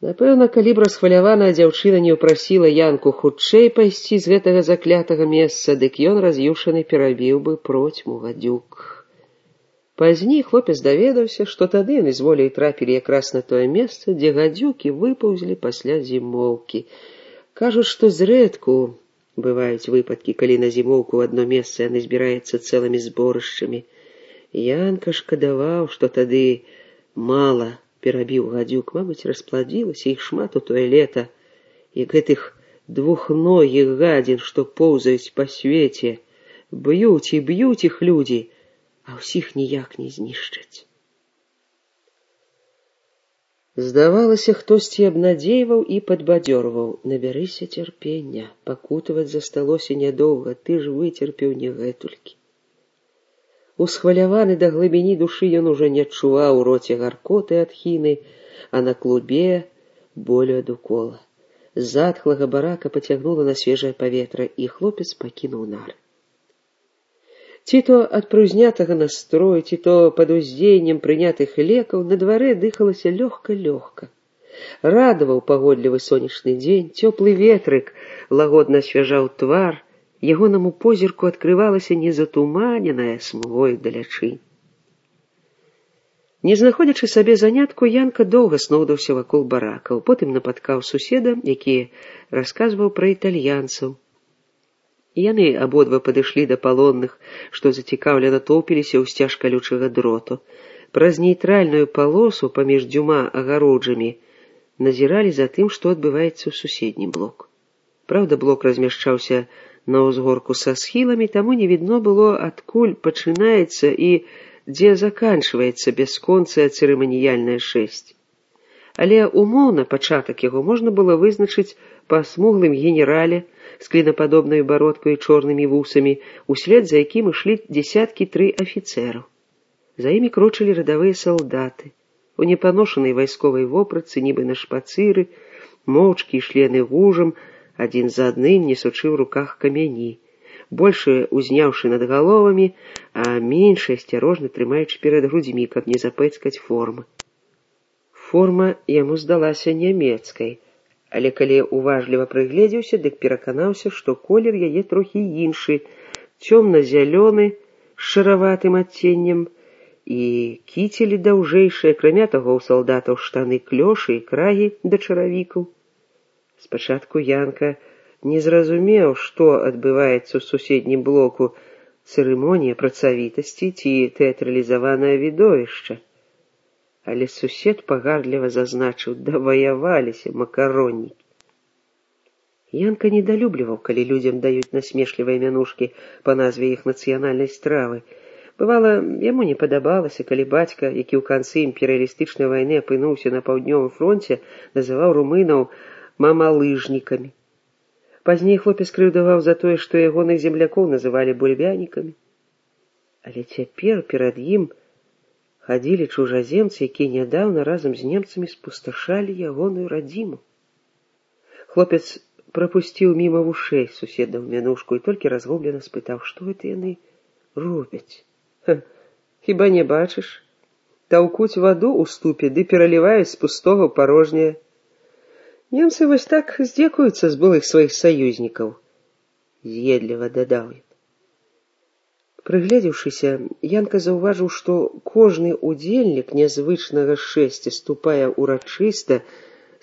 Напэўна, калі б расхваляваная дзяўчына не ўпрасіла Янку хутчэй пайсці з гэтага заклятага месца, дык ён раз'юшаны перабіў бы процьму гадзюк. Пазней хлопец даведаўся, што тады яны з воляй трапілі якраз на тое месца, дзе гадзюкі выпаўзлі пасля зімоўкі. Кажуць, што зрэдку бываюць выпадкі, калі на зімоўку ў адно месца яны збіраюцца цэлымі зборышчамі. Янка шкадаваў, што тады мала перабіў гадзюк, мабыць, распладзілася іх шмат у тое лета, як гэтых двухногіх гадзін, што поўзаюць па свеце, б'юць і б'юць іх людзі, а ўсіх ніяк не знішчаць. Здавалася, хтосьці абнадзейваў і падбадзёрваў: набярыся цярпення, пакутаваць засталося нядоўга, ты ж выцерпеў не гэтулькі. Усхваляваны да глыбіні душы ён ужо не адчуваў у роце гаркоты ад хіны, а на клубе болю ад укола. З затхлага барака пацягнула на свежае паветра, і хлопец пакінуў нары. Ці то ад прыўзнятага настрою, ці то пад уздзеяннем прынятых лекаў на дварэ дыхалася лёгка-лёгка. Радаваў пагодлівы сонечны дзень, цёплы ветрык лагодна асвяжаў твар, ягонаму позірку адкрывалася незатуманеная смугой далячынь. Не знаходзячы сабе занятку, Янка доўга сноўдаўся вакол баракаў, потым напаткаў суседа, які расказваў пра італьянцаў. Яны абодва падышлі да палонных, што зацікаўлена тоўпіліся ў сцяж калючага дроту. Праз нейтральную палосу паміж дзвюма агароджамі назіралі за тым, што адбываецца ў суседні блок. Праўда, блок размяшчаўся на ўзгорку са схіламі, таму не відно было, адкуль пачынаецца і дзе заканчваецца бясконцая цырыманіяльная шэсць. Але умоўна пачатак яго можна было вызначыць па смуглым генерале з клінападобнай бародкай і чорнымі вусамі, услед за якім ішлі дзесяткі 3 афіцэраў. За імі крочылі радавыя салдаты. У непаношанай вайсковай вопратцы, нібы на шпацыры, моўчкі ішлі яны гужам, адзін за адным, несучы ў руках камяні, большыя узняўшы над галовамі, а меншыя асцярожна трымаючы перад грудзьмі, каб не запэцкаць формы. Форма яму здалася нямецкай, але калі уважліва прыгледзеўся, дык пераканаўся, што колер яе трохі іншы, цёмна-зялёны, з шараватым адценнем, і кіцелі даўжэйшыя, акрамя таго ў салдатаў штаны клёшы і крагі да чаравікаў. Спачатку Янка не зразумеў, што адбываецца ў суседнім блоку, цырымонія працавітасці ці тэатралізаванае відовішча. Але сусед пагардліва зазначыў: даваяваліся макароннікі. Янка недалюбліваў, калі людзям даюць насмешлівыя мянушкі па назве іх нацыянальнай стравы. Бывала, яму не падабалася, калі бацька, які ў канцы імперыялістычнай вайны апынуўся на паўднёвым фронце, называў румынаў мамалыжнікамі. Пазней хлопец крыўдаваў за тое, што ягоных землякоў называлі бульбянікамі. Але цяпер перад ім хадзілі чужаземцы, якія нядаўна разам з немцамі спусташалі ягоную радзіму. Хлопец прапусціў міма вушэй суседаў мянушку і толькі разгублена спытаў, што гэта яны робяць. Хіба не бачыш? Таўкуць ваду ў ступе ды пераліваюць з пустога ў парожняе. Немцы вось так здзекуюцца з былых сваіх саюзнікаў, з'едліва дадаў ён. Прыгледзеўшыся, Янка заўважыў, што кожны удзельнік нязвычнага шэсця ступае урачыста,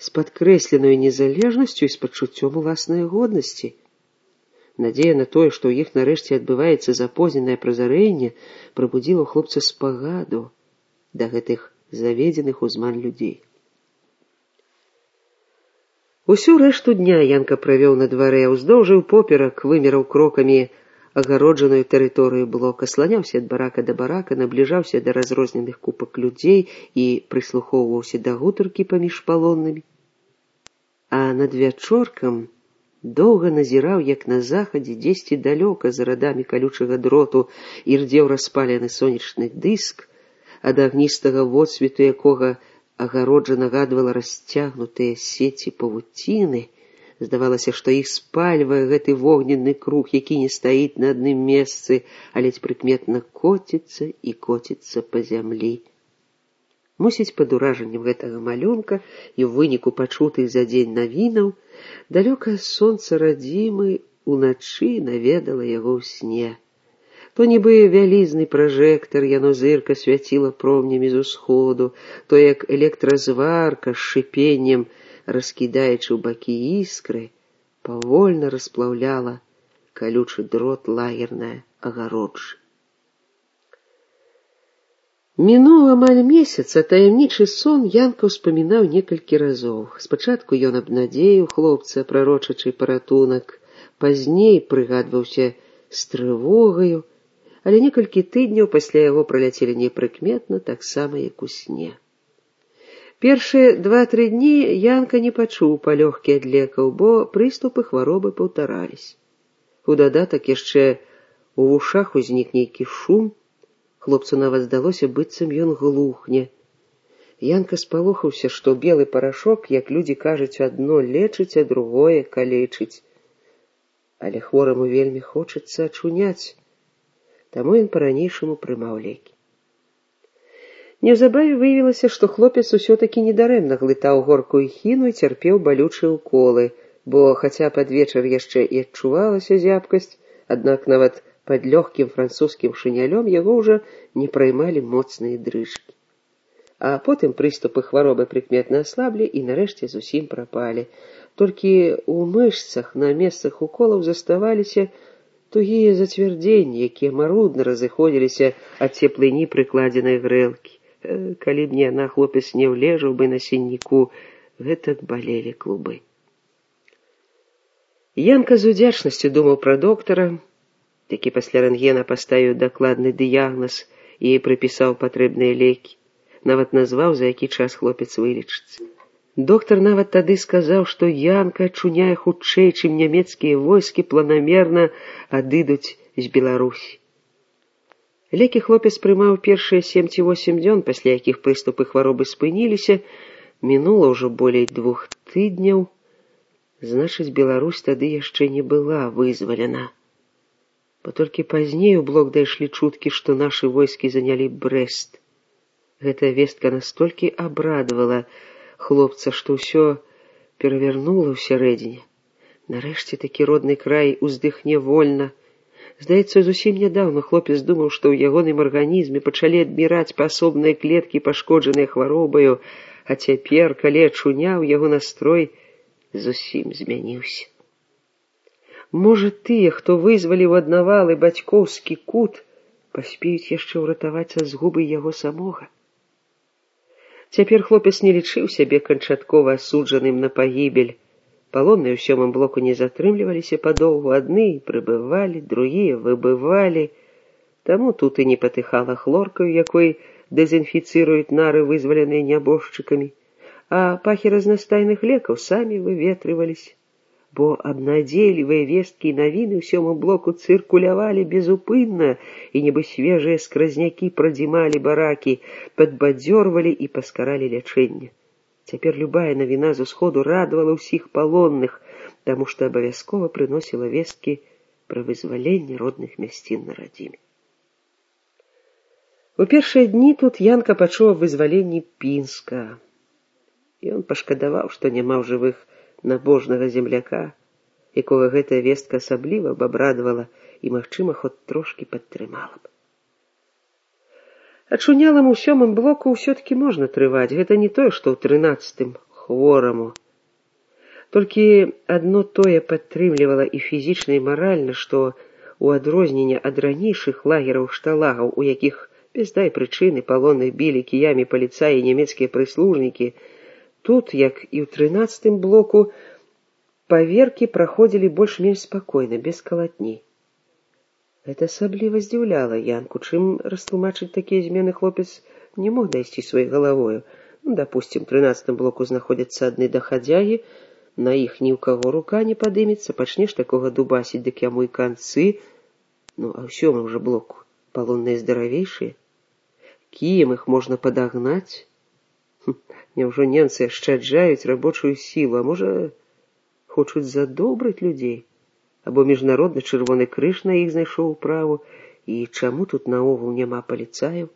з падкрэсленаю незалежнасцю і з пачуццём уласнай годнасці. Надзея на тое, што ў іх нарэшце адбываецца запозненае празарэнне, прабудзіла ў хлопца спагаду да гэтых заведзеных у зман людзей. Усю рэшту дня Янка правёў на дварэ, уздоўж і ўпоперак вымераў крокамі агароджаную тэрыторыю блока, сланяўся ад барака да барака, набліжаўся да разрозненых купак людзей і прыслухоўваўся да гутаркі паміж палоннымі. А над вячоркам доўга назіраў, як на захадзе, дзесьці далёка за радамі калючага дроту ірдзеў распалены сонечны дыск, ад агністага водсвету якога агароджа нагадвала расцягнутыя сеці павуціны. Здавалася, што іх спальвае гэты вогненны круг, які не стаіць на адным месцы, а ледзь прыкметна коціцца і коціцца па зямлі. Мусіць, пад уражаннем гэтага малюнка і ў выніку пачутых за дзень навінаў, далёкае сонца радзімы уначы наведала яго ў сне. То нібы вялізны пражэктар, яно зырка свяціла промнямі з усходу, то як электразварка з шыпеннем, раскідаючы ў бакі іскры, павольна расплаўляла калючы дрот лагерная агароджа. Мінуў амаль месяц, а таямнічы сон Янка ўспамінаў некалькі разоў. Спачатку ён абнадзеіў хлопца, прарочачы паратунак, пазней прыгадваўся з трывогаю, але некалькі тыдняў пасля яго праляцелі непрыкметна, таксама як у сне. Першыя 2-3 дні Янка не пачуў палёгкі ад лекаў, бо прыступы хваробы паўтарались. У дадатак яшчэ у вушах узнік нейкі шум, хлопцу нават здалося, быццам ён глухне. Янка спалохаўся, што белы парашок, як людзі кажуць, адно лечыць, а другое калечыць. Але хвораму вельмі хочацца ачуняць, таму ён па-ранейшаму прымаў лекі. Неўзабаве выявілася, што хлопец усё-такі недарэмна глытаў горкую хіну і цярпеў балючыя ўколы, бо хаця пад вечар яшчэ і адчувалася зябкасць, аднак нават пад лёгкім французскім шынялём яго ўжо не праймалі моцныя дрыжкі. А потым прыступы хваробы прыкметна аслаблі і нарэшце зусім прапалі. Толькі ў мышцах на месцах уколаў заставаліся тугія зацвярдзенні, якія марудна разыходзіліся ад цеплыні прыкладзенай грэлкі. Калі б не яна, хлопец не ўлежаў бы на сінніку, гэтак балелі клубы. Янка з удзячнасцю думаў пра доктара, які пасля рэнтгена паставіў дакладны дыягназ і прыпісаў патрэбныя лекі, нават назваў, за які час хлопец вылечыцца. Доктар нават тады сказаў, што Янка ачуняе хутчэй, чым нямецкія войскі планамерна адыдуць з Беларусі. Лекі хлопец прымаў першыя 7 ці 8 дзён, пасля якіх прыступы хваробы спыніліся. Мінула ўжо болей 2 тыдняў, значыць, Беларусь тады яшчэ не была вызвалена. Бо толькі пазней у блок дайшлі чуткі, што нашы войскі занялі Брэст. Гэтая вестка настолькі абрадавала хлопца, што ўсё перавярнула ўсярэдзіне. Нарэшце такі родны край уздыхне вольна. Здаецца, зусім нядаўна хлопец думаў, што ў ягоным арганізме пачалі адміраць паасобныя клеткі, пашкоджаныя хваробаю, а цяпер, калі ачуняў, яго настрой зусім змяніўся. Можа, тыя, хто вызваліў аднавалы бацькоўскі кут, паспеюць яшчэ ўратаваць ад згубы яго самога. Цяпер хлопец не лічыў сябе канчаткова асуджаным на пагібель. Палонныя ў 7-м блоку не затрымліваліся падоўгу, адны прыбывалі, другія выбывалі. Таму тут і не патыхала хлоркаю, якой дэзінфіцыруюць нары, вызваленыя нябожчыкамі, а пахі разнастайных лекаў самі выветрываліся. Бо абнадзейлівыя весткі і навіны ў 7-м блоку цыркулявалі безупынна, і нібы свежыя скразнякі прадзімалі баракі, падбадзёрвалі і паскаралі лячэнне. Цяпер любая навіна з усходу радавала ўсіх палонных, таму што абавязкова прыносіла весткі пра вызваленне родных мясцін на радзіме. У першыя дні тут Янка пачуў аб вызваленні Пінска. Ён пашкадаваў, што няма ў жывых набожнага земляка, якога гэтая вестка асабліва б абрадавала і, магчыма, хоць трошкі падтрымала б. Ачунялам у 7-м блоку ўсё-такі можна трываць, гэта не тое, што ў 13-м хвораму. Толькі адно тое падтрымлівала і фізічна, і маральна, што у адрозненне ад ранейшых лагераў-шталагаў, у якіх без дай прычыны палонных білі кіямі паліцаі і нямецкія прыслужнікі, тут, як і ў 13-м блоку, паверкі праходзілі больш-менш спакойна, без калатні. Гэта асабліва здзіўляла Янку, чым растлумачыць такія змены хлопец не мог дайсці сваёй галавою. Дапусцім, у 13-м блоку знаходзяцца адны дахадзягі, на іх ні ў каго рука не падымецца, пачнеш такога дубасіць, дык яму і канцы. А ў 7-м жа блоку палонныя здаравейшыя. Кіем іх можна падагнаць? Няўжо немцы ашчаджаюць рабочую сілу, а можа, хочуць задобрыць людзей? Або міжнародны чырвоны крыж на іх знайшоў управу, і чаму тут наогул няма паліцаяў?